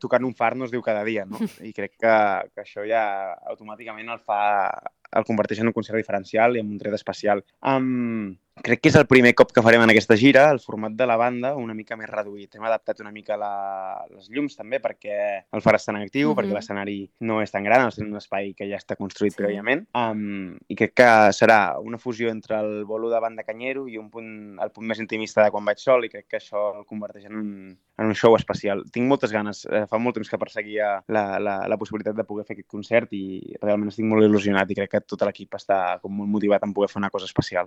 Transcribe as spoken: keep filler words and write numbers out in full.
tocant un far no es diu cada dia, no? I crec que, que això ja automàticament el fa el converteix en un concert diferencial i en un tret especial. Um, crec que és el primer cop que farem en aquesta gira, el format de la banda una mica més reduït. Hem adaptat una mica la, les llums també perquè el far està en actiu, uh-huh. perquè l'escenari no és tan gran, és un espai que ja està construït sí. prèviament. Um, I crec que serà una fusió entre el bolo de banda canyero i un punt, el punt més intimista de quan vaig sol, i crec que això el converteix en un, en un show especial. Tinc moltes ganes, eh, fa molt temps que perseguia la, la, la possibilitat de poder fer aquest concert i realment estic molt il·lusionat i crec que tot l'equip està com molt motivat en poder fer una cosa especial.